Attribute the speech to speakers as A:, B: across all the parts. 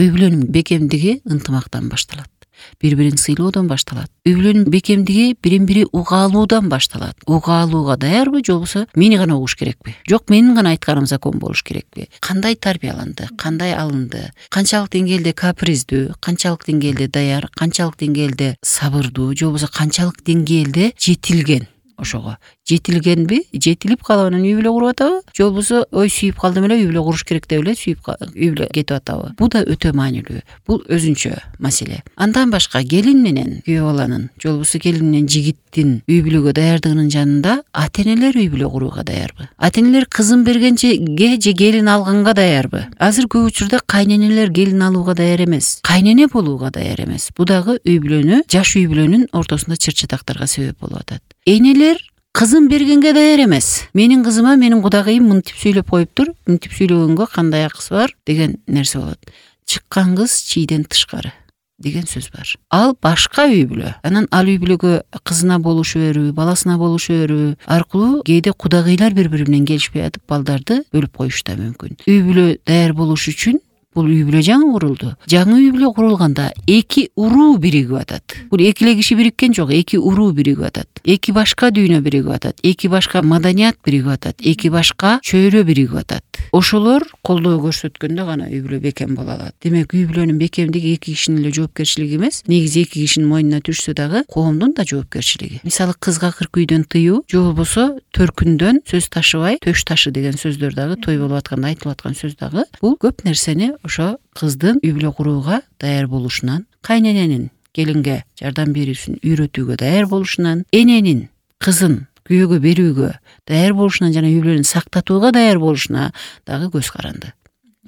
A: үй бүлөнүн бекемдиги ынтымактан башталат. Бири-бирин сыйлоодон башталат. Үй бүлөнүн бекемдиги бирин-бири уга алуудан башталат. Уга алууга даярбы, же болбосо мени гана угуш керекпи? Жок, менин гана айтканым закон болуш керекпи? Кандай тарбияланды, кандай алынды, канчалык деңгээлде каприздүү, канчалык деңгээлде даяр, канчалык деңгээлде сабырдуу, же болбосо канчалык деңгээлде жетилген? Ошого жетилгенби, жетилип калып анан үй бүлө куруп атабы, же болбосо ой сүйүп калдым эле, үй бүлө куруш керек деп эле үй бүлө кетип атабы? Бул да өтө маанилүү. Бул өзүнчө маселе. Андан башка келин менен күйөө баланын, же болбосо келин менен жигиттин үй бүлөгө даярдыгынын жанында ата-энелер үй бүлө курууга даярбы? Ата-энелер кызын бергенчеге же келин алганга даярбы? Азыр көп учурда кайненелер келин алууга даяр эмес, кайнене болууга даяр эмес. Бу дагы үй бүлөнү, жаш үй бүлөнүн ортосунда чыр-чатактарга себеп болуп атат. Энелер кызын бергенге даяр эмес. Менин кызыма менин кудагыйым мынтип сүйлөп коюптур, мынтип сүйлөгөнгө кандай акысы бар деген нерсе болот. Чыккан кыз чийден тышкары деген сөз бар. Ал башка үй бүлө. Анан ал үй бүлөгө кызына болушу берүү, баласына болушу берүү аркылуу кээде кудагыйлар бири-бири менен келишпей атып балдарды бөлүп коюшу да мүмкүн. Үй бүлө даяр болуш үчүн бул үй бүлө жаңы курулду. Жаңы үй бүлө курулганда эки уруу биригип атат. Бул эки эле киши бириккен жок, эки уруу биригип атат. Эки башка дүйнө биригип атат. Эки башка маданият биригип атат. Эки башка чөйрө биригип атат. Ошолор колдоо көрсөткөндө гана үй бүлө бекем боло алат. Демек үй бүлөнүн бекемдиги эки кишинин эле жоопкерчилиги эмес, негизи эки кишинин мойнуна түшсө дагы коомдун да жоопкерчилиги. Мисалы кызга кыркүйдөн тыюу, же болбосо төркүндөн сөз ташыбай, төш ташы деген сөздөр дагы той болуп атканда айтылып аткан сөз дагы бул көп нерсени ошо кыздын үй бүлө курууга даяр болушунан, кайнененин келинге жардам берүүсүн үйрөтүүгө даяр болушунан, эненин кызын күйөөгө берүүгө даяр болушунан жана үй бүлөнү сактатууга даяр болушуна дагы көз каранды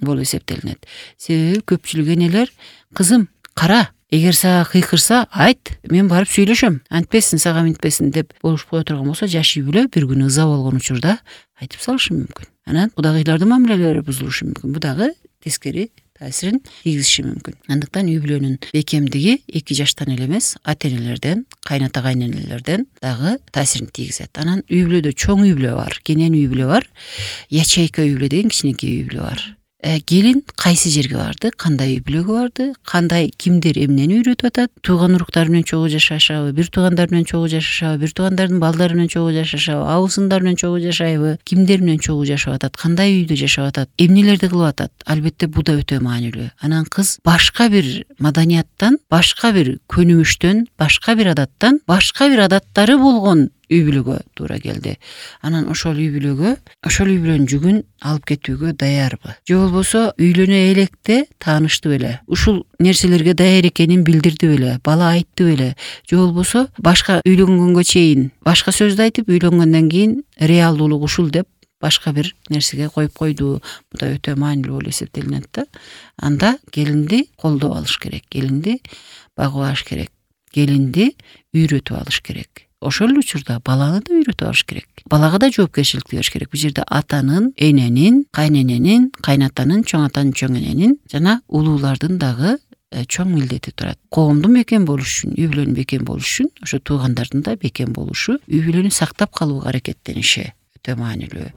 A: болуп эсептелинет. Себеби көпчүлүк энелер кызым кара, эгер сага кыйкырса айт, мен барып сүйлөшөм, антпесин сага минтпесин деп болушуп кое турган болсо, жаш үй бүлө бир күнү ыза болгон учурда айтып салышы мүмкүн. Анан кудагыйлардын мамилелери бузулушу мүмкүн. Бу дагы тескери таасирин тийгизиши мүмкүн. Андыктан үй бүлөнүн бекемдиги эки жаштан эле эмес, ата-энелерден, кайната кайненелерден дагы таасирин тийгизет. Анан үй бүлөдө чоң үй бүлө бар, кенен үй бүлө бар, ячейка үй бүлө деген кичинекей үй бүлө бар. Келин кайсы жерге барды, кандай үй бүлөгө барды, кандай кимдер эмнени үйрөтүп атат, тууган уруктары менен чогуу жашашабы, бир туугандар менен чогуу жашашабы, бир туугандардын балдары менен чогуу жашашабы, абысындар менен чогуу жашайбы, кимдер менен чогуу жашап атат, кандай үйдө жашап атат, эмнелерди кылып атат. Албетте бу да өтө маанилүү. Анан кыз башка бир маданияттан, башка бир көнүмүштөн, башка бир адаттан, башка бир адаттары болгон үй бүлөгө туура келди. Анан ошол үй бүлөнүн жүгүн алып кетүүгө даярбы? Же болбосо үйлөнө электе таанышты беле? Ушул нерселерге даяр экенин билдирди беле? Бала айтты беле? Же болбосо башка үйлөнгөнгө чейин башка сөздү айтып, үйлөнгөндөн кийин реалдуулук ушул деп башка бир нерсеге коюп койду. Бу да өтө маанилүү болуп эсептелинет да. Анда келинди колдоп алыш керек, келинди багып алыш керек, келинди үйрөтүп алыш керек. Ошол учурда баланы да үйрөтүп алыш керек. Балага да жоопкерчиликти бериш керек. Бул жерде атанын, эненин, кайнененин, кайнатанын, чоң атанын, чоң эненин жана улуулардын дагы чоң милдети турат. Коомдун бекем болуш үчүн, үй бүлөнүн бекем болуш үчүн, ошо туугандардын да бекем болушу, үй бүлөнү сактап калууга аракеттениши өтө маанилүү.